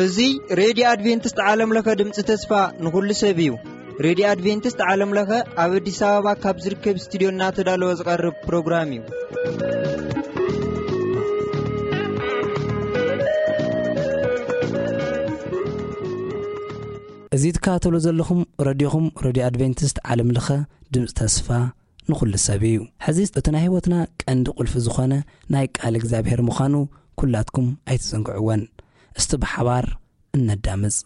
እዚ ሬድዮ ኣድቬንቲስት ዓለም ለኸ ድምፂ ተስፋ ንኹሉ ሰብ እዩ። ሬድዮ ኣድቬንቲስት ዓለም ለኸ ኣብ ኣዲስ ኣበባ ካብ ዝርከብ ስቱዲዮ እናተዳለወ ዝቐርብ ፕሮግራም እዩ። እዚ ትከታተሉ ዘለኹም ረድዮኹም፣ ረድዮ ኣድቬንቲስት ዓለም ለኸ ድምፂ ተስፋ ንኹሉ ሰብ እዩ። ሕዚ እቲ ናይ ህይወትና ቀንዲ ቁልፊ ዝኾነ ናይ ቃል እግዚኣብሔር ምዃኑ ኩላትኩም ኣይትዘንግዕወን። እስቲ ብሓባር እነዳምፅ።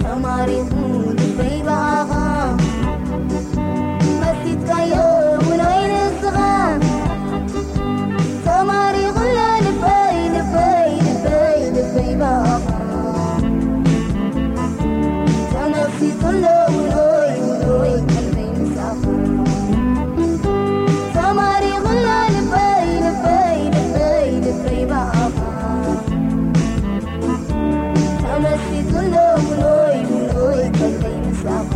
ተማሪኹ ልበይ ብኣኻ፣ መሲጥካዮ ውኖይ ንስኻ። ተማሪኹ ልበይ፣ ልበይ፣ ልበይ፣ ልበይ ብኣኻ፣ ተመሲጡሎ ውኖይ፣ ውኖይ ቀልበይ ምሳኻ። ተማሪኹ ልበይ፣ ልበይ፣ ልበይ፣ ልበይ ብኣኻ፣ ተመሲጡሎ ውኖይ፣ ውኖይ ቀልበይ ምሳኻ።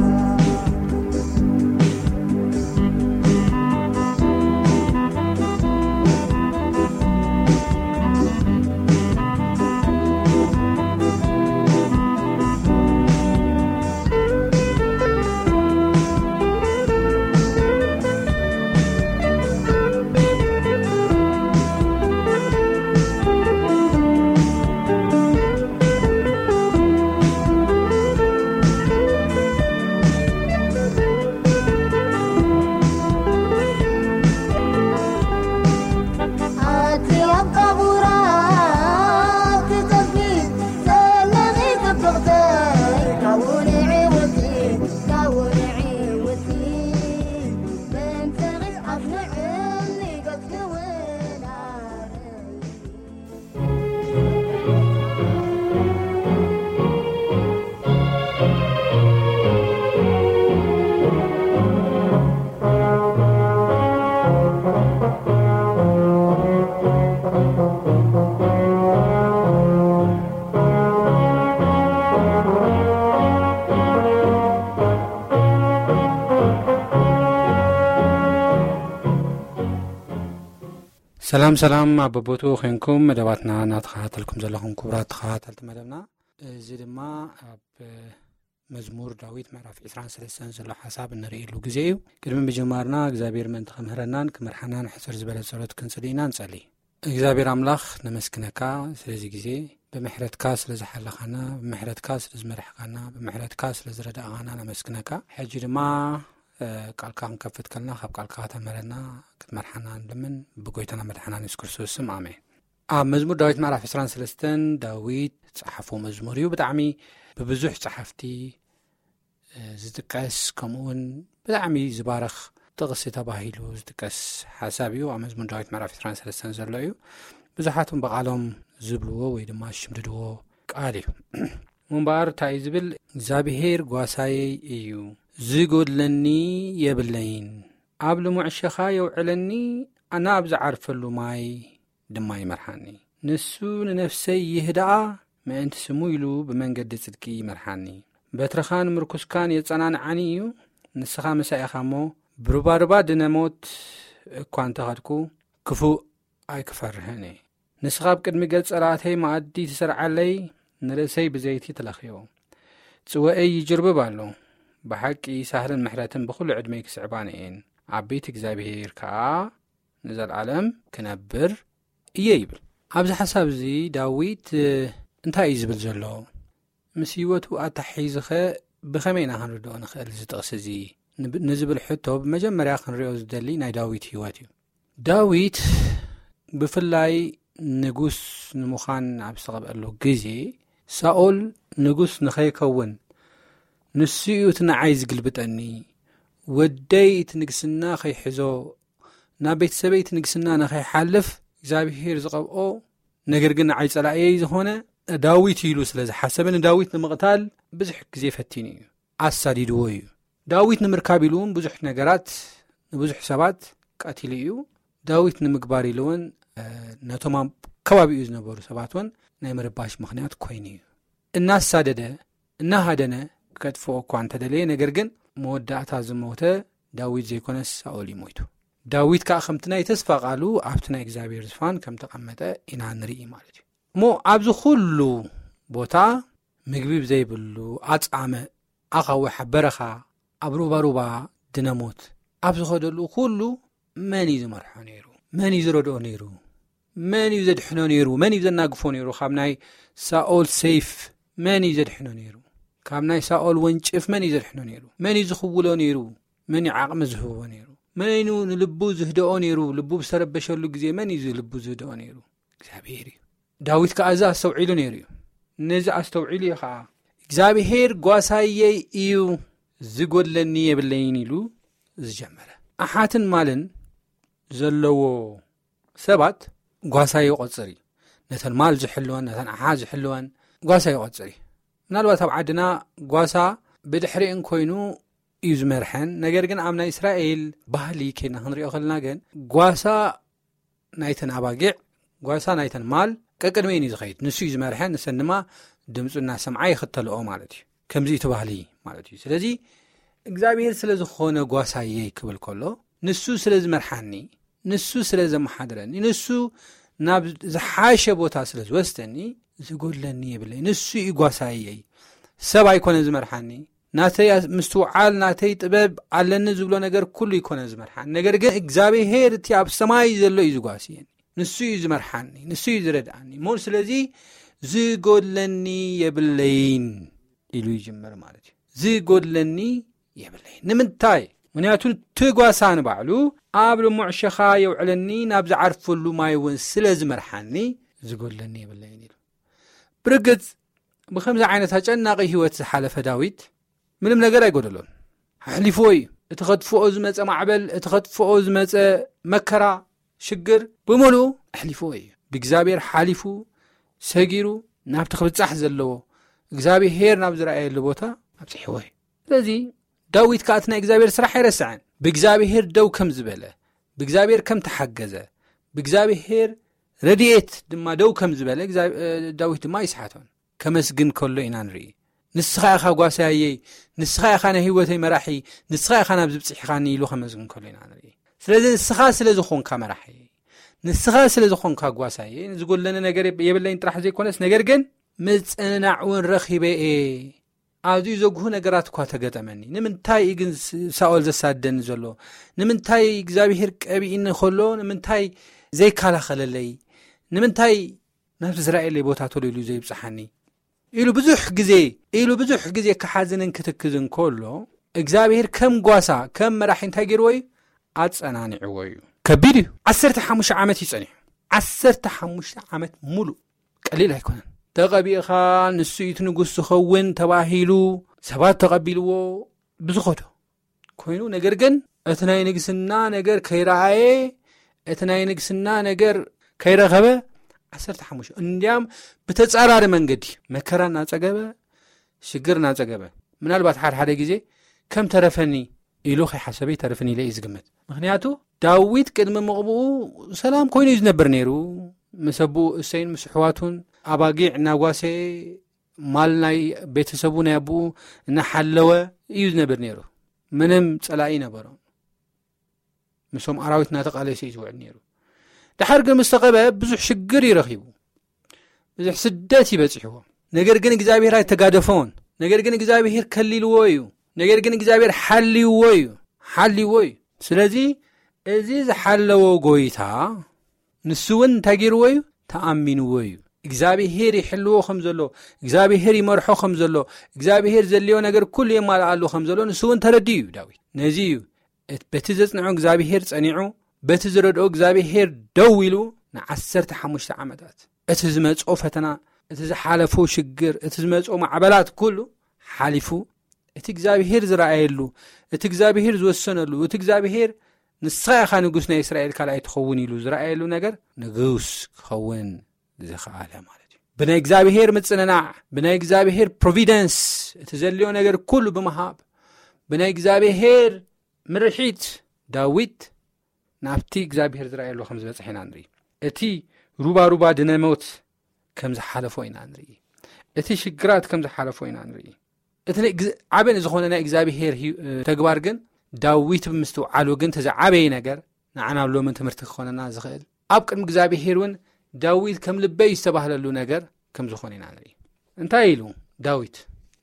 ኣቲ ኣብ ቀቡራ ትጠፊ ዘለኺ ጽብቕተይ፣ ካብኡ ንዕውቲ፣ ካብኡ ንዕውቲ፣ በንተኺ ኣስምዕኒ ገጽኪ እውን ኣርእይ። ሰላም ሰላም፣ ኣብ በቦትኡ ኮንኩም መደባትና እናተኸታተልኩም ዘለኹም ክቡራት ተኸታተልቲ መደብና፣ እዚ ድማ ኣብ መዝሙር ዳዊት ምዕራፍ ዕስራን ሰለስተን ዘሎ ሓሳብ እንርእየሉ ግዜ እዩ። ቅድሚ ምጅማርና እግዚኣብሔር ምእንቲ ክምህረናን ክመርሓናን ሕጽር ዝበለ ጸሎት ክንጽሊ ኢና። ንጸሊ። እግዚኣብሔር ኣምላኽ ነመስግነካ ስለዚ ግዜ፣ ብምሕረትካ ስለ ዝሓለኻና፣ ብምሕረትካ ስለ ዝመርሕካና፣ ብምሕረትካ ስለ ዝረዳእኻና ነመስግነካ። ሕጂ ድማ እ፣ ቃልካ ክንከፍት ከለና ካብ ቃልካ ከተምህረና ክትመርሓና ንልምን፣ ብጎይታና መድሓና የሱስ ክርስቶስ ስም ኣሜን። ኣብ መዝሙር ዳዊት ምዕራፍ ዕስራን ሰለስተን ዳዊት ዝጸሓፎ መዝሙር እዩ። ብጣዕሚ ብብዙሕ ጸሓፍቲ እ፣ ዝጥቀስ፣ ከምኡውን ብጣዕሚ ዝባረኽ ጥቕሲ ተባሂሉ ዝጥቀስ ሓሳብ እዩ። ኣብ መዝሙር ዳዊት ምዕራፍ ዕስራን ሰለስተን ዘሎ እዩ። ብዙሓት እውን ብቓሎም ዝብልዎ ወይ ድማ ዝሽምድድዎ ቃል እዩ። እሞ እምበኣር እንታይ እዩ ዝብል? እግዚኣብሄር ጓሳየይ እዩ፣ ዝጎድለኒ የብለይን። ኣብ ልሙዕ ሸኻ የውዕለኒ፣ ኣነ ኣብ ዝዓርፈሉ ማይ ድማ ይመርሓኒ። ንሱ ንነፍሰይ ይህድኣ፣ ምእንቲ ስሙ ኢሉ ብመንገዲ ጽድቂ ይመርሓኒ። በትርኻን ምርኩስካን የጸናንዓኒ እዩ። ንስኻ ምሳይ ኢኻ እሞ፣ ብሩባሩባ ድነ ሞት እኳ እንተኸድኩ፣ ክፉእ ኣይክፈርህን እየ። ንስኻ ኣብ ቅድሚ ገጽ ጸላእተይ መኣዲ ትሰርዓለይ፣ ንርእሰይ ብዘይቲ ትለኽዮ። ጽወኤይ ይጅርብብ ኣሎ። ብሓቂ ሳህልን ምሕረትን ብኹሉ ዕድመይ ክስዕባኒ እየን። ኣብ ቤት እግዚኣብሄር ከኣ ንዘለኣለም ክነብር እየ ይብል። ኣብዚ ሓሳብ እዚ ዳዊት፣ እ፣ እንታይ እዩ ዝብል ዘሎ? ምስ ህይወቱ ኣተሓሒዝኸ ብኸመይ ኢና ክንርድኦ ንኽእል እዚ ጥቕሲ እዚ? ንብ-፣ ንዝብል ሕቶ ብመጀመርያ ክንሪኦ ዝደሊ ናይ ዳዊት ህይወት እዩ። ዳዊት ብፍላይ ንጉስ ንምዃን ኣብ ዝተቐብአሉ ግዜ፣ ሳኦል ንጉስ ንኸይከውን፣ ንሱ እዩ እቲ ንዓይ ዝግልብጠኒ፣ ወደይ እቲ ንግስና ከይሕዞ፣ ናብ ቤተሰበይ እቲ ንግስና ንኸይሓልፍ እግዚኣብሄር ዝቐብኦ፣ ነገር ግን ንዓይ ጸላእየይ ዝኾነ ዳዊት እዩ ኢሉ ስለ ዝሓሰበ፣ ንዳዊት ንምቕታል ብዙሕ ግዜ ፈቲኑ እዩ፣ ኣሳዲድዎ እዩ። ዳዊት ንምርካብ ኢሉ እውን ብዙሕ ነገራት ንብዙሕ ሰባት ቀቲሉ እዩ። ዳዊት ንምግባር ኢሉ እውን፣ እ፣ ነቶም ኣብ ከባቢኡ ዝነበሩ ሰባት እውን ናይ ምርባሽ ምኽንያት ኮይኑ እዩ። እናሳደደ፣ እናሃደነ ከጥፍኦ እኳ እንተደለየ፣ ነገር ግን መወዳእታ ዝሞተ ዳዊት ዘይኮነስ ሳኦል እዩ ሞይቱ። ዳዊት ከኣ ከምቲ ናይ ተስፋ ቃሉ ኣብቲ ናይ እግዚኣብሔር ዝፋን ከም ተቐመጠ ኢና ንርኢ ማለት እዩ። እሞ ኣብዚ ኩሉ ቦታ ምግቢ ብዘይብሉ ኣጻምእ፣ ኣኻውሕ ኣብ በረኻ፣ ኣብ ሩባሩባ ድነሞት ኣብ ዝኸደሉ ኩሉ መን እዩ ዝመርሖ ነይሩ? መን እዩ ዝረድኦ ነይሩ? መን እዩ ዘድሕኖ ነይሩ? መን እዩ ዘናግፎ ነይሩ? ካብ ናይ ሳኦል ሰይፍ መን እዩ ዘድሕኖ ነይሩ? ካብ ናይ ሳኦል ወንጭፍ መን እዩ ዘድሕኖ ነይሩ? መን እዩ ዝኽውሎ ነይሩ? መን እዩ ዓቕሚ ዝህቦ ነይሩ? መን እዩ ንልቡ ዝህድኦ ነይሩ? ልቡ ብዝተረበሸሉ ግዜ መን እዩ ልቡ ዝህድኦ ነይሩ? እግዚኣብሔር እዩ። ዳዊት ከኣ እዚ ኣስተውዒሉ ነይሩ እዩ። ነዚ ኣስተውዒሉ እዩ ኸዓ እግዚኣብሔር ጓሳየይ እዩ፣ ዝጎድለኒ የብለይን ኢሉ ዝጀመረ። ኣሓትን ማልን ዘለዎ ሰባት ጓሳ ይቆጽር እዩ። ነተን ማል ዝሕልወን ነተን ኣሓ ዝሕልወን ጓሳ ይቆጽር እዩ። ምናልባት ኣብ ዓድና ጓሳ ብድሕሪእን ኮይኑ እዩ ዝመርሐን። ነገር ግን ኣብ ናይ እስራኤል ባህሊ ከይድና ክንሪኦ ከለና ግን ጓሳ ናይተን ኣባጊዕ፣ ጓሳ ናይተን ማል ቀቅድሚኡን እዩ ዝኸይድ። ንሱ እዩ ዝመርሐን፣ ንሰን ድማ ድምፁ እናሰምዓ ይኽተልኦ ማለት እዩ። ከምዚ እቲ ባህሊ ማለት እዩ። ስለዚ እግዚኣብሔር ስለ ዝኾነ ጓሳየይ ክብል ከሎ፣ ንሱ ስለ ዝመርሓኒ፣ ንሱ ስለ ዘመሓድረኒ፣ ንሱ ናብ ዝሓሸ ቦታ ስለ ዝወስደኒ፣ ዝጎድለኒ የብለይ። ንሱ እዩ ጓሳየይ። ሰብ ኣይኮነ ዝመርሓኒ። ናተይ ምስትውዓል፣ ናተይ ጥበብ ኣለኒ ዝብሎ ነገር ኩሉ ይኮነ ዝመርሓኒ። ነገር ግን እግዚኣብሔር እቲ ኣብ ሰማይ ዘሎ እዩ ዝጓስየኒ። ንሱ እዩ ዝመርሓኒ፣ ንሱ እዩ ዝረድኣኒ። እሞ ስለዚ ዝጎድለኒ የብለይን ኢሉ ይጅምር ማለት እዩ። ዝጎድለኒ የብለይን። ንምንታይ? ምክንያቱ እቲ ጓሳ ንባዕሉ ኣብ ልሙዕ ሸኻ የውዕለኒ፣ ናብ ዝዓርፈሉ ማይ እውን ስለ ዝመርሓኒ ዝጎድለኒ የብለይን ኢሉ። ብርግጽ ብኸምዚ ዓይነት ኣጨናቂ ህይወት ዝሓለፈ ዳዊት ምንም ነገር ኣይጎደሎን። ኣሕሊፍዎ እዩ። እቲ ከጥፍኦ ዝመጸ ማዕበል፣ እቲ ከጥፍኦ ዝመጸ መከራ፣ ሽግር ብምሉኡ ኣሕሊፍዎ እዩ። ብእግዚኣብሔር ሓሊፉ፣ ሰጊሩ፣ ናብቲ ክብጻሕ ዘለዎ እግዚኣብሔር ናብ ዝረኣየሉ ቦታ ኣብጺሕዎ እዩ። ስለዚ ዳዊት ከኣ እቲ ናይ እግዚኣብሔር ስራሕ ኣይረስዐን። ብእግዚኣብሔር ደው ከም ዝበለ፣ ብእግዚኣብሔር ከም ተሓገዘ፣ ብእግዚኣብሔር ረድኤት ድማ ደው ከም ዝበለ፣ እግዚኣብ-፣ እ፣ ዳዊት ድማ ኣይስሓቶን። ከመስግን ከሎ ኢና ንርኢ። ንስኻ ኢኻ ጓሳየይ፣ ንስኻ ኢኻ ናይ ህይወተይ መራሒ፣ ንስኻ ኢኻ ናብዚ ብጽሒኻኒ ኢሉ ከመስግን ከሎ ኢና ንርኢ። ስለዚ ንስኻ ስለ ዝኾንካ መራሒ፣ ንስኻ ስለ ዝኾንካ ጓሳየይ፣ ዝጎድለኒ ነገር የብ-፣ የብለይን ጥራሕ ዘይኮነስ፣ ነገር ግን ምጽንናዕ እውን ረኺበ እየ። ኣዝዩ ዘጉህ ነገራት እኳ ተገጠመኒ። ንምንታይ እዩ ግን ስ-፣ ሳኦል ዘሳደኒ ዘሎ? ንምንታይ እግዚኣብሔር ቀቢእኒ ከሎ፣ ንምንታይ ዘይከላኸለለይ? ንምንታይ ናብቲ ዝረኣየለይ ቦታ ቶሎ ኢሉ ዘይብጽሓኒ? ኢሉ ብዙሕ ግዜ፣ ኢሉ ብዙሕ ግዜ ክሓዝንን ክትክዝን ከሎ፣ እግዚኣብሔር ከም ጓሳ፣ ከም መራሒ እንታይ ገይርዎ እዩ? ኣጸናኒዕዎ እዩ። ከቢድ እዩ። ዓሰርተ ሓሙሽተ ዓመት እዩ ጸኒሑ። ዓሰርተ ሓሙሽተ ዓመት ሙሉእ። ቀሊል ኣይኮነን። ተቐቢእኻ፣ ንሱ እዩ እቲ ንጉስ ዝኸውን ተባሂሉ፣ ሰባት ተቐቢልዎ ብዝኸዶ ኮይኑ፣ ነገር ግን እቲ ናይ ንግስና ነገር ከይረኣየ፣ እቲ ናይ ንግስና ነገር ከይረኸበ፣ ዓሰርተ ሓሙሽተ እንዲያም ብተጻራሪ መንገዲ መከራ እናጸገበ፣ ሽግር እናጸገበ፣ ምናልባት ሓደ ሓደ ግዜ ከም ተረፈኒ ኢሉ ከይሓሰበ ይተርፍን ኢለ እዩ ዝግምት። ምኽንያቱ ዳዊት ቅድሚ ምቕብኡ ሰላም ኮይኑ እዩ ዝነብር ነይሩ። ምስ ኣቦኡ እሰይን ምስ ኣሕዋቱን ኣባጊዕ እናጓሰ ማል ናይ ቤተሰቡ ናይ ኣቦኡ እናሓለወ እዩ ዝነብር ነይሩ። ምንም ጸላኢ ነበሮ። ምስኦም ኣራዊት እናተቃለሰ እዩ ዝውዕል ነይሩ። ድሓር ግን ምስ ተቐበ ብዙሕ ሽግር እዩ ረኺቡ። ብዙሕ ስደት እዩ በጺሕዎ። ነገር ግን እግዚኣብሔር ኣይተጋደፎን። ነገር ግን እግዚኣብሔር ከሊልዎ እዩ። ነገር ግን እግዚኣብሔር ሓልይዎ እዩ። ሓልይዎ እዩ። ስለዚ እዚ ዝሓለዎ ጎይታ ንሱ እውን እንታይ ገይርዎ እዩ? ተኣሚንዎ እዩ። እግዚኣብሔር ይሕልዎ ከም ዘሎ፣ እግዚኣብሔር ይመርሖ ከም ዘሎ፣ እግዚኣብሔር ዘድልዮ ነገር ኩሉ የማልኣሉ ከም ዘሎ ንሱ እውን ተረዲኡ እዩ ዳዊት። ነዚ እዩ እት-፣ በቲ ዘጽንዖ እግዚኣብሔር ጸኒዑ፣ በቲ ዝረድኦ እግዚኣብሔር ደው ኢሉ ንዓሰርተ ሓሙሽተ ዓመታት እቲ ዝመጾ ፈተና፣ እቲ ዝሓለፎ ሽግር፣ እቲ ዝመጾ ማዕበላት ኩሉ ሓሊፉ፣ እቲ እግዚኣብሔር ዝረኣየሉ፣ እቲ እግዚኣብሔር ዝወሰነሉ፣ እቲ እግዚኣብሔር "ንስኻ ኢኻ ንጉስ ናይ እስራኤል ካልኣይ ትኸውን" ኢሉ ዝረኣየሉ ነገር ንጉስ ክኸውን ዝኸኣለ ማለት እዩ። ብናይ እግዚኣብሔር ምጽንናዕ፣ ብናይ እግዚኣብሔር ፕሮቪደንስ፣ እቲ ዘድልዮ ነገር ኩሉ ብምሃብ፣ ብናይ እግዚኣብሔር ምርሒት ዳዊት ናብቲ እግዚኣብሔር ዝረኣየሉ ከም ዝበጽሐ ኢና ንርኢ። እቲ ሩባ ሩባ ድነ ሞት ከም ዝሓለፎ ኢና ንርኢ። እቲ ሽግራት ከም ዝሓለፎ ኢና ንርኢ። እቲ ናይ ግዝ-፣ ዓቢ ዝኾነ ናይ እግዚኣብሔር ህዩ-፣ ተግባር ግን ዳዊት ብምስትውዓሉ ግን እቲ ዝዓበየ ነገር ንዓና ኣብ ሎምን ትምህርቲ ክኾነና ዝኽእል ኣብ ቅድሚ እግዚኣብሔር እውን ዳዊት ከም ልበይ ዝተባህለሉ ነገር ከም ዝኾነ ኢና ንርኢ። እንታይ ኢሉ ዳዊት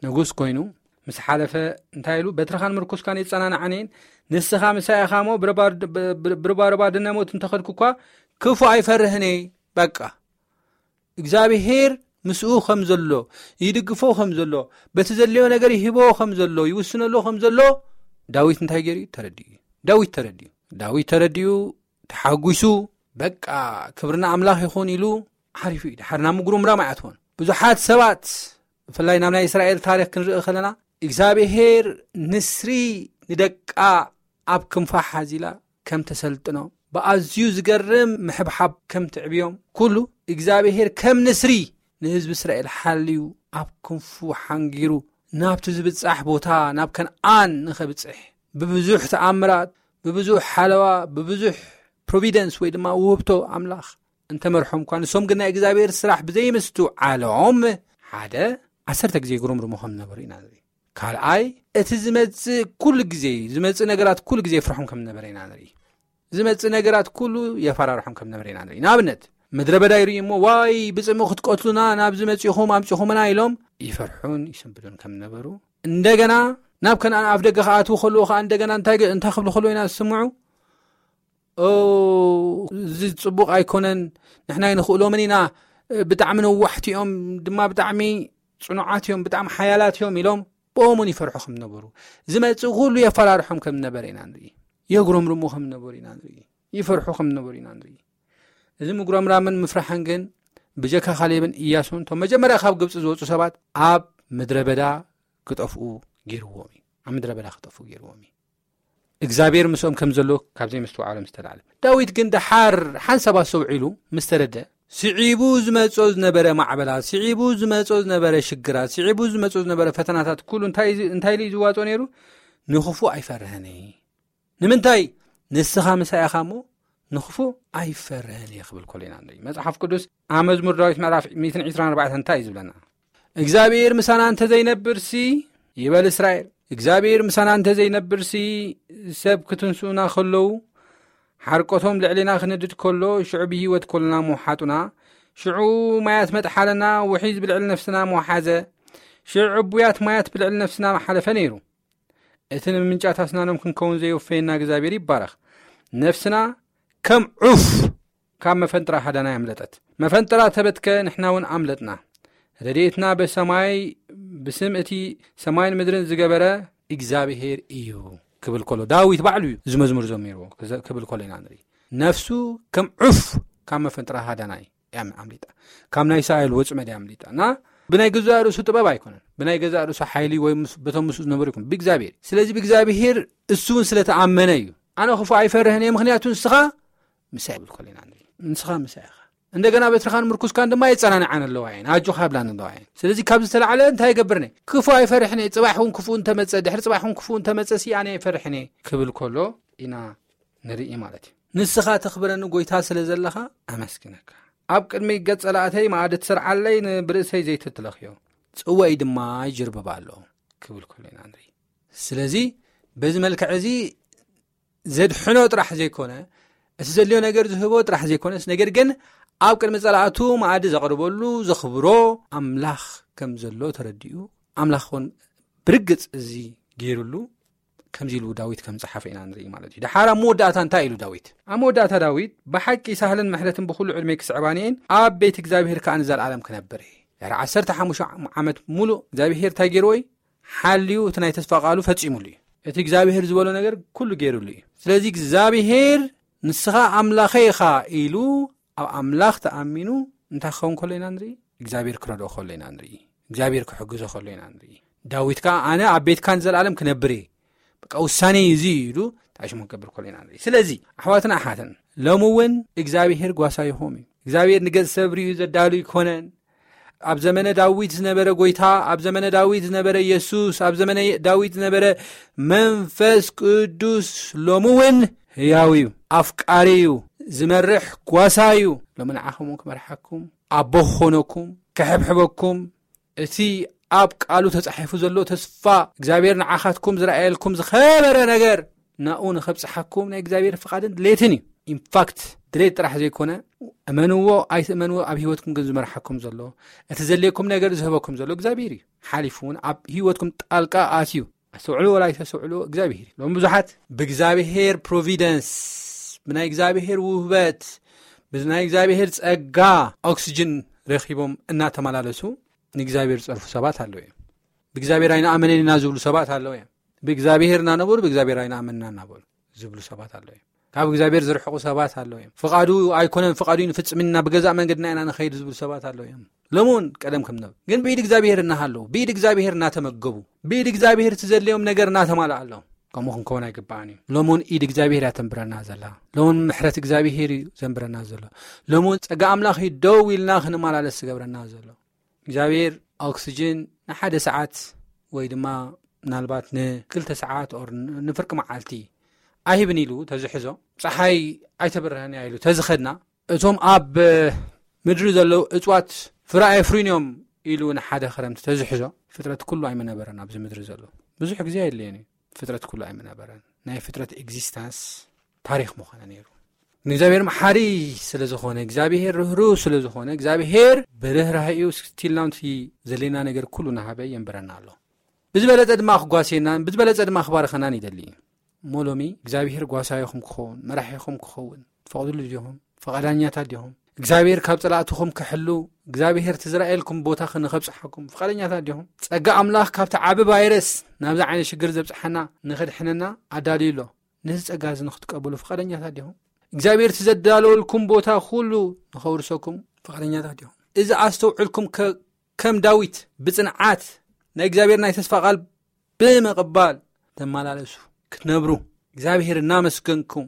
ንጉስ ኮይኑ ምስ ሓለፈ እንታይ ኢሉ? "በትርኻን ምርኩስካን የጸናንዓኒ እየን፣ ንስኻ ምሳይ ኢኻ እሞ ብረባ-፣ ብ-፣ ብ-፣ ብረባረባ ድነ ሞት እንተኸድኩ እኳ ክፉ ኣይፈርህን እየ።" በቃ እግዚኣብሔር ምስኡ ከም ዘሎ፣ ይድግፎ ከም ዘሎ፣ በቲ ዘድልዮ ነገር ይህቦ ከም ዘሎ፣ ይውስነሉ ከም ዘሎ ዳዊት እንታይ ገይሩ እዩ? ተረዲኡ እዩ። ዳዊት ተረዲኡ። ዳዊት ተረዲኡ፣ ተሓጒሱ፣ በቃ ክብሪ ንኣምላኽ ይኹን ኢሉ ዓሪፉ እዩ። ድሓር ናብ ምጉርምራም ኣይኣትዎን። ብዙሓት ሰባት፣ ብፍላይ ናብ ናይ እስራኤል ታሪኽ ክንርኢ ከለና፣ እግዚኣብሄር ንስሪ ንደቃ ኣብ ክንፋ ሓዚላ ከም ተሰልጥኖ፣ ብኣዝዩ ዝገርም ምሕብሓብ ከም ትዕብዮም፣ ኩሉ እግዚኣብሄር ከም ንስሪ ንህዝቢ እስራኤል ሓልዩ ኣብ ክንፉ ሓንጊሩ ናብቲ ዝብጻሕ ቦታ፣ ናብ ከነኣን ንኸብጽሕ፣ ብብዙሕ ተኣምራት፣ ብብዙሕ ሓለዋ፣ ብብዙሕ ፕሮቪደንስ ወይ ድማ ውህብቶ ኣምላኽ እንተመርሖም እኳ፣ ንሶም ግን ናይ እግዚኣብሔር ስራሕ ብዘይምስትውዓሎም፣ ሓደ፣ ዓሰርተ ግዜ ይጉረምርሙ ከም ዝነበሩ ኢና ንርኢ። ካልኣይ፣ እቲ ዝመጽእ ኩሉ ግዜ፣ ዝመጽእ ነገራት ኩሉ ግዜ የፍርሖም ከም ዝነበረ ኢና ንርኢ። ዝመጽእ ነገራት ኩሉ የፈራርሖም ከም ዝነበረ ኢና ንርኢ። ንኣብነት፣ ምድረ በዳ ይርእዩ እሞ፣ "ዋይ፣ ብጽምኡ ክትቀትሉና ናብዚ መጺኹም ኣምጺኹምና" ኢሎም ይፈርሑን ይስንብዱን ከም ዝነበሩ፣ እንደገና ናብ ከነኣን ኣፍ ደገ ክኣትዉ ከለዉ ከኣ እንደገና እንታይ ገ-፣ እንታይ ክብሉ ከለዉ ኢና ዝስምዑ? "ኦ፣ እዚ ጽቡቕ ኣይኮነን፣ ንሕና ኣይንኽእሎምን ኢና፣ ብጣዕሚ ነዋሕቲ እዮም፣ ድማ ብጣዕሚ ጽኑዓት እዮም፣ ብጣዕሚ ሓያላት እዮም" ኢሎም ብኦም እውን ይፈርሑ ከም ነበሩ፣ ዝመጽእ ኩሉ የፈራርሖም ከም ነበረ ኢና ንርኢ። የጉረምርሙ ከም ነበሩ ኢና ንርኢ። ይፈርሑ ከም ነበሩ ኢና ንርኢ። እዚ ምጉረምራምን ምፍራሕን ግን ብጀካ ካሌብን ኢያሱን፣ እቶም መጀመርያ ካብ ግብጺ ዝወጹ ሰባት፣ ኣብ ምድረ በዳ ክጠፍኡ ገይርዎም እዩ። ኣብ ምድረ በዳ ክጠፍኡ ገይርዎም እዩ። እግዚኣብሔር ምስኦም ከም ዘሎ ካብ ዘይምስትውዓሎም ዝተላዕለ። ዳዊት ግን ደሓር ሓንሳብ ኣስተውዒሉ ምስ ተረድአ፣ ስዒቡ ዝመጾ ዝነበረ ማዕበላት፣ ስዒቡ ዝመጾ ዝነበረ ሽግራት፣ ስዒቡ ዝመጾ ዝነበረ ፈተናታት ኩሉ እንታይ እዩ፣ እንታይ ኢሉ እዩ ዝዋጾ ነይሩ? "ንኽፉእ ኣይፈርህን እየ። ንምንታይ? ንስኻ ምሳይ ኢኻ እሞ ንኽፉእ ኣይፈርህን እየ" ክብል ከሎ ኢና ንርኢ። መጽሓፍ ቅዱስ ኣብ መዝሙር ዳዊት ምዕራፍ ሚእትን ዕስራን ኣርባዕተን እንታይ እዩ ዝብለና? "እግዚኣብሔር ምሳና እንተዘይነብርሲ" ይበል እስራኤል። "እግዚኣብሔር ምሳና እንተዘይነብርሲ፣ ሰብ ክትንስኡና ከለዉ፣ ሓርቆቶም ልዕሌና ክነድድ ከሎ፣ ሽዑ ብህይወት ከሎና ምውሓጡና፣ ሽዑ ማያት መጥሓለና፣ ውሒዝ ብልዕሊ ነፍስና ምውሓዘ፣ ሽዑ ዕቡያት ማያት ብልዕሊ ነፍስና ምሓለፈ ነይሩ። እቲ ንምምንጫት ኣስናኖም ክንከውን ዘየውፈየና እግዚኣብሔር ይባረኽ። ነፍስና ከም ዑፍ ካብ መፈንጥራ ሃዳና ኣምለጠት። መፈንጥራ ተበትከ፣ ንሕና እውን ኣምለጥና። ረድኤትና በሰማይ፣ ብስም እቲ ሰማይን ምድርን ዝገበረ እግዚኣብሔር እዩ" ክብል ከሎ፣ ዳዊት ባዕሉ እዩ እዚ መዝሙር ዘሚርዎ ክዘ-፣ ክብል ከሎ ኢና ንርኢ። ነፍሱ ከም ዑፍ ካብ መፈንጥራ ሃዳናይ እያ ኣምሊጣ። ካብ ናይ ሳኦል ወጽመድ እያ ኣምሊጣ። እና ብናይ ገዛእ ርእሱ ጥበብ ኣይኮነን፣ ብናይ ገዛእ ርእሱ ሓይሊ ወይ ምስ-፣ በቶም ምስኡ ዝነበሩ ይኮን፣ ብእግዚኣብሔር። ስለዚ ብእግዚኣብሔር እሱ እውን ስለተኣመነ እዩ። "ኣነ ክፉእ ኣይፈርህን እየ፣ ምኽንያቱ ንስኻ ምሳይ" ይብል ከሎ ኢና ንርኢ። ንስኻ ምሳይ ኢኻ። እንደገና በትርኻን ምርኩስካን ድማ የጸናንዓን ኣለዋ እየን፣ ኣጆኻ ይብላን ኣለዋ እየን። ስለዚ ካብ ዝተላዕለ እንታይ ይገብርኒ? ክፉእ ኣይፈርሕን እየ። ጽባሕ እውን ክፉእ እንተመጸ፣ ድሕሪ ጽባሕ እውን ክፉእ እንተመጸ ሲ ኣነ ኣይፈርሕን እየ ክብል ከሎ ኢና ንርኢ ማለት እዩ። "ንስኻ ተኽብረኒ ጎይታ ስለ ዘለኻ ኣመስግነካ። ኣብ ቅድሚ ገጽ ጸላእተይ መኣዲ ትሰርዓለይ፣ ን-፣ ብርእሰይ ዘይትትለኽዮ፣ ጽዋይ ድማ ይጅርብብ ኣሎ" ክብል ከሎ ኢና ንርኢ። ስለዚ በዚ መልክዕ እዚ ዘድሕኖ ጥራሕ ዘይኮነ፣ እቲ ዘድልዮ ነገር ዝህቦ ጥራሕ ዘይኮነስ፣ ነገር ግን ኣብ ቅድሚ ጸላእቱ መኣዲ ዘቕርበሉ፣ ዘኽብሮ ኣምላኽ ከም ዘሎ ተረዲኡ፣ ኣምላኽ እውን ብርግጽ እዚ ገይሩሉ፣ ከምዚ ኢሉ ዳዊት ከም ጸሓፈ ኢና ንርኢ ማለት እዩ። ደሓር ኣብ መወዳእታ እንታይ ኢሉ ዳዊት? ኣብ መወዳእታ ዳዊት፣ "ብሓቂ ሳህልን ምሕረትን ብኹሉ ዕድመይ ክስዕባኒ እየን፣ ኣብ ቤት እግዚኣብሔር ከኣ ንዘለኣለም ክነብር እየ።" ድሕሪ ዓሰርተ ሓሙሽተ ዓመት ሙሉእ እግዚኣብሔር እንታይ ገይርዎ እዩ? ሓልዩ፣ እቲ ናይ ተስፋ ቃሉ ፈጺሙሉ እዩ። እቲ እግዚኣብሔር ዝበሎ ነገር ኩሉ ገይሩሉ እዩ። ስለዚ እግዚኣብሔር፣ "ንስኻ ኣምላኸይ ኢኻ" ኢሉ ኣብ ኣምላኽ ተኣሚኑ እንታይ ክኸውን ከሎ ኢና ንርኢ? እግዚኣብሔር ክረድኦ ከሎ ኢና ንርኢ። እግዚኣብሔር ክሕግዞ ከሎ ኢና ንርኢ። ዳዊት ከኣ፣ "ኣነ ኣብ ቤትካ ንዘለኣለም ክነብር እየ፣ በቃ ውሳኔ እዩ እዚ" ኢሉ ተኣሽሙ ክገብር ከሎ ኢና ንርኢ። ስለዚ ኣሕዋትን ኣሓትን፣ ሎሚ እውን እግዚኣብሔር ጓሳይኹም እዩ። እግዚኣብሔር ንገጽ ሰብ ርእዩ ዘዳሉ ኣይኮነን። ኣብ ዘመነ ዳዊት ዝነበረ ጎይታ፣ ኣብ ዘመነ ዳዊት ዝነበረ የሱስ፣ ኣብ ዘመነ ዳዊት ዝነበረ መንፈስ ቅዱስ ሎሚ እውን ህያው እዩ፣ ኣፍቃሪ እዩ፣ ዝመርሕ ጓሳ እዩ። ሎሚ ንዓኹም እውን ክመርሓኩም፣ ኣቦ ክኾነኩም፣ ክሕብሕበኩም፣ እቲ ኣብ ቃሉ ተጻሒፉ ዘሎ ተስፋ እግዚኣብሔር ንዓኻትኩም ዝረኣየልኩም ዝኸበረ ነገር ናኡ ንኸብጽሓኩም ናይ እግዚኣብሔር ፍቓድን ድሌትን እዩ። ኢንፋክት ድሌት ጥራሕ ዘይኮነ፣ እመንዎ ኣይትእመንዎ፣ ኣብ ህይወትኩም ግን ዝመርሓኩም ዘሎ፣ እቲ ዘድልየኩም ነገር ዝህበኩም ዘሎ እግዚኣብሔር እዩ። ሓሊፉ እውን ኣብ ህይወትኩም ጣልቃ ኣትዩ፣ ኣስተውዕሉ ወላ ኣይተስተውዕሉ እግዚኣብሔር እዩ። ሎም ብዙሓት ብእግዚኣብሔር ፕሮቪደንስ፣ ብናይ እግዚኣብሔር ውህበት፣ ብናይ እግዚኣብሔር ጸጋ ኦክስጅን ረኺቦም እናተመላለሱ ንእግዚኣብሔር ዝጸርፉ ሰባት ኣለዉ እዮም። ብእግዚኣብሔር ኣይንኣመንን ኢና ዝብሉ ሰባት ኣለዉ እዮም። ብእግዚኣብሔር እናነበሩ ብእግዚኣብሔር ኣይንኣመንና እናበሉ ዝብሉ ሰባት ኣለዉ እዮም። ካብ እግዚኣብሔር ዝርሕቑ ሰባት ኣለዉ እዮም። ፍቓዱ ኣይኮነን፣ ፍቓዱ ንፍጽምና ብገዛእ መንገድና ኢና ንኸይድ ዝብሉ ሰባት ኣለዉ እዮም። ሎሚ እውን ቀደም ከም ነበሩ ግን ብኢድ እግዚኣብሔር እናሃለዉ፣ ብኢድ እግዚኣብሔር እናተመገቡ፣ ብኢድ እግዚኣብሔር እቲ ዘድልዮም ነገር እናተማልኣሎም፣ ከምኡ ክንከውን ኣይግባእን እዩ። ሎሚ እውን ኢድ እግዚኣብሔር እያ ተንብረና ዘላ። ሎሚ እውን ምሕረት እግዚኣብሔር እዩ ዘንብረና ዘሎ። ሎሚ እውን ጸጋ ኣምላኽ እዩ ደው ኢልና ክንመላለስ ዝገብረና ዘሎ። እግዚኣብሔር ኦክስጅን ንሓደ ሰዓት ወይ ድማ ምናልባት ንክልተ ሰዓት ኦር ንፍርቂ መዓልቲ ኣይህብን ኢሉ ተዝሕዞ፣ ጸሓይ ኣይተብርህን እያ ኢሉ ተዝኸድና፣ እቶም ኣብ ምድሪ ዘለዉ እጽዋት ፍረ ኣየፍርዩን እዮም ኢሉ ንሓደ ክረምቲ ተዝሕዞ፣ ፍጥረት ኩሉ ኣይምነበረን። ኣብዚ ምድሪ ዘሎ ብዙሕ ግዜ ኣየድልየን እዩ፣ ፍጥረት ኩሉ ኣይምነበረን። ናይ ፍጥረት ኤግዚስታንስ ታሪኽ ምኾነ ነይሩ። ንእግዚኣብሔር መሓሪ ስለ ዝኾነ፣ እግዚኣብሔር ርህሩህ ስለ ዝኾነ፣ እግዚኣብሔር ብርህራሄኡ ስቲልናውንቲ ዘሌና ነገር ኩሉ ናሃበ የንብረና ኣሎ። ብዝበለጸ ድማ ክጓስየናን ብዝበለጸ ድማ ክባርኸናን ይደሊ እዩ። እሞ ሎሚ እግዚኣብሔር ጓሳይኹም ክኸውን፣ መራሒኹም ክኸውን ትፈቕድሉ ዲኹም? ፍቓዳኛታት ዲኹም እግዚኣብሔር ካብ ጸላእትኹም ክሕሉ? እግዚኣብሔር ትዝራኤልኩም ቦታ ንኸብጽሓኩም ፍቓደኛታት ዲኹም? ጸጋ ኣምላኽ ካብቲ ዓቢ ቫይረስ ናብዚ ዓይነት ሽግር ዘብጽሓና ንኸድሕነና ኣዳልዩ ኣሎ። ነዚ ጸጋ እዚ ንኽትቀበሉ ፍቓደኛታት ዲኹም? እግዚኣብሔር እቲ ዘዳለወልኩም ቦታ ኩሉ ንኸውርሰኩም ፍቓደኛታት ዲኹም? እዚ ኣስተውዕልኩም ከ-፣ ከም ዳዊት ብጽንዓት ናይ እግዚኣብሔር ናይ ተስፋ ቃል ብምቕባል ተመላለሱ፣ ክትነብሩ እግዚኣብሔር እናመስገንኩም፣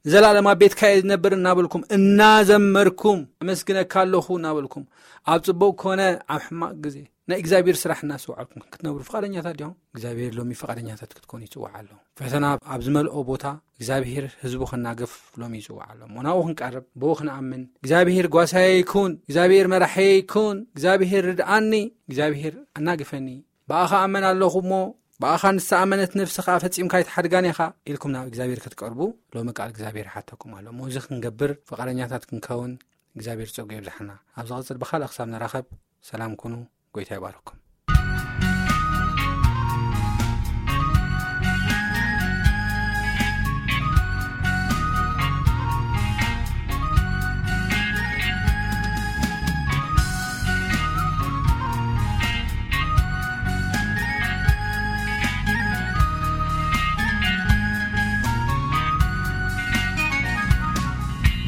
ንዘላለም ኣብ ቤትካ እየ ዝነብር እናበልኩም፣ እናዘመርኩም፣ ኣመስግነካ ኣለኹ እናበልኩም፣ ኣብ ጽቡቕ ኮነ ኣብ ሕማቕ ግዜ ናይ እግዚኣብሔር ስራሕ እናስተውዓልኩም ክትነብሩ ፍቓደኛታት ዲኹም? እግዚኣብሔር ሎሚ ፍቓደኛታት ክትኮኑ ይጽውዓ ኣሎ። ፈተና ኣብ ዝመልኦ ቦታ እግዚኣብሔር ህዝቡ ከናግፍ ሎሚ ይጽውዓ ኣሎ። እሞ ናብኡ ክንቀርብ፣ ብኡ ክንኣምን፣ እግዚኣብሔር ጓሳየ ይኩን፣ እግዚኣብሔር መራሐየ ይኩን፣ እግዚኣብሔር ርድኣኒ፣ እግዚኣብሔር ኣናግፈኒ፣ ብኣኻ ኣመን ኣለኹ እሞ ብኣኻ ንዝተኣመነት ነፍሲ ኸኣ ፈጺምካ ኣይትሓድጋን ኢኻ ኢልኩም ናብ እግዚኣብሔር ክትቀርቡ ሎሚ ቃል እግዚኣብሔር ይሓተኩም ኣሎ። እሞ እዚ ክንገብር ፍቓደኛታት ክንከውን እግዚኣብሔር ጸጉ የብዝሓና። ኣብ ዝቕጽል ብኻልእ ክሳብ ንራኸብ ሰላም ኩኑ። ጎይታ ይባርኩም።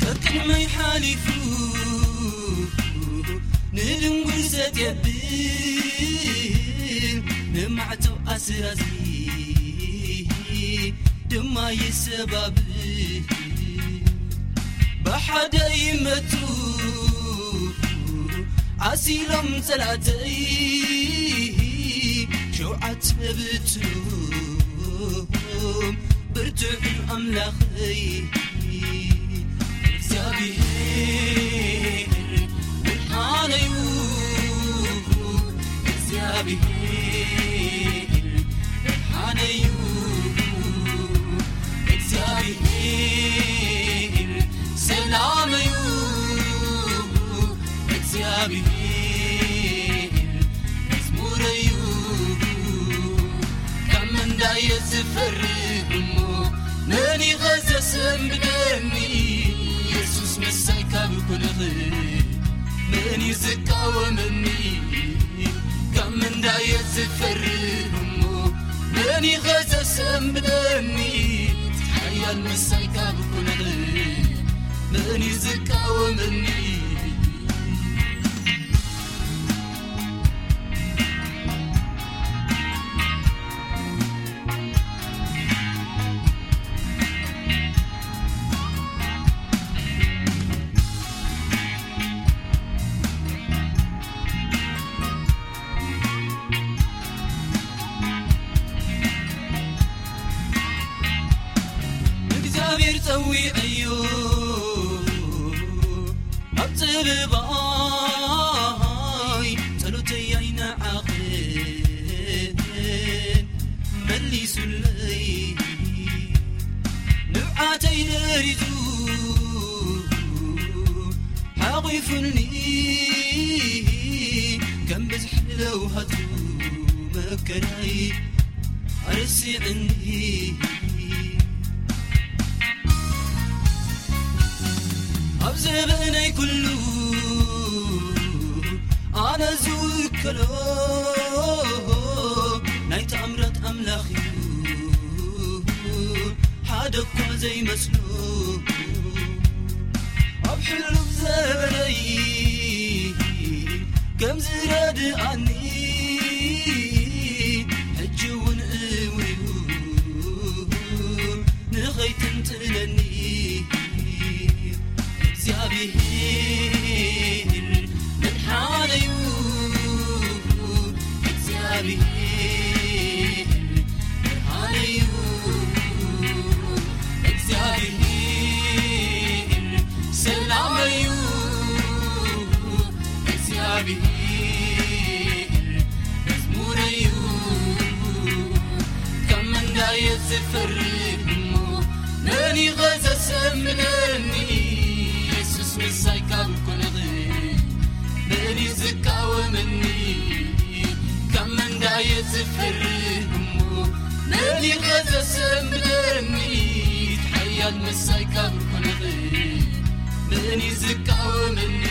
ከቅድመይ ሓሊፉ ንድንጉል ዘጥ የብል፣ ንማዕተብ ኣስራዚ ድማ ይሰባብል። ብሓደ ይመቱ ዓሲሎም ጸላእተይ፣ ሸውዓተ ብትኖም ብርቱዕ ኣምላኸይ። እግዚኣብሔር ብርሃነዩ፣ እግዚኣብሔር ብርሃነዩ፣ እግዚኣብሔር ሰላመዩ፣ እግዚኣብሔር መዝሙረዩ። ካብ መንዳየ ዝፈርህ እሞ መን ኢኸ ዘሰንብደኒ? የሱስ ምሳይ ካብ ኩነኽ መን እዩ ዝቃወመኒ? ካብ መንዳየ ዝፈርህ እሞ መን ኢኸ ዘሰንብደኒ? ሓያል ምሳይ ካብ ኩነኽ መን እዩ ዝቃወመኒ? እግዚኣብሔር ጸዊዐዮ ኣብ ጸበባይ፣ ጸሎተይ ኣይነዓቕን መሊሱለይ፣ ንብዓተይ ደሪዙ ሓቒፉኒ፣ ከም ብዝሒ ለውሃቱ መከራይ ኣረሲዕኒ። ኣብ ዘበነይ ኩሉ ኣነ ዝውከሎ ናይ ተኣምራት ኣምላኽ እዩ፣ ሓደ እኳ ዘይመስሎ። ኣብ ሕሉፍ ዘበነይ ከም ዝረድኣኒ ሕጂ እውን እውዩ ንኸይትንጥለኒ እግዚኣብሔር መድሓነዩ እግዚኣብሔር ብርሃነዩ እግዚኣብሔር ሰላመዩ እግዚኣብሔር መዝሙረዩ ካብ መንዳየ ዝፈርግ እሞ መን ይኸዘሰምለኒ የሱስ ምሳይ ካብ ኮነኽ መን ዝቃወመኒ ካብ መንዳየ ዝፈርግ እሞ መን ይኸዘሰምለኒ ሓያል ምሳይ ካብ ኮነኽ መን ዝቃወመኒ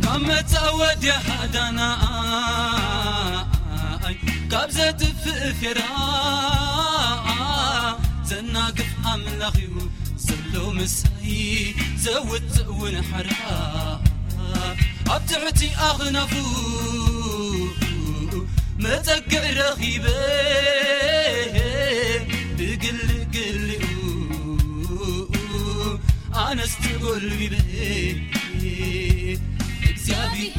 ካብ መጻ ወዲያ ሃዳና ካብ ዘጥፍእ ፌራ ዘናግፍ ኣምላኽ እዩ ዘሎ ምሳይ ዘውፅእ እውን ሓራ ኣብ ትሕቲ ኣኽናፉ መፀግዕ ረኺበ ብግልግሊኡ ኣነስ ተጎልቢበ እግዚኣብሔር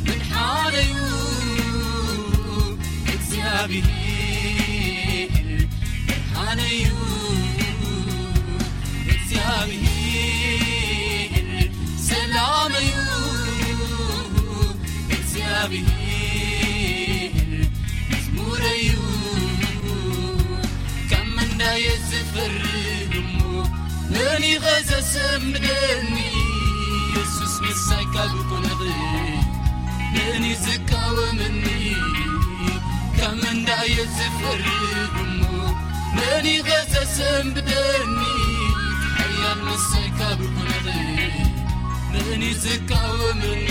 መድሓነዩ እግዚኣብሔር ብርሃነዩ እግዚኣብሔር ሰላመዩ እግዚኣብሔር መዝሙረዩ ካብ መንዳየ ዝፈርግ እሞ መን ይኸዘሰምደኒ የሱስ ምሳይ ካብ ኮነኽ መን ዝቃወመኒ ካብ መንዳየ ዝፈርግ እሞ መን ይኸዘሰምደኒ ሓያል ምሳይ ካብ ኮነኽ መን ዝቃወመኒ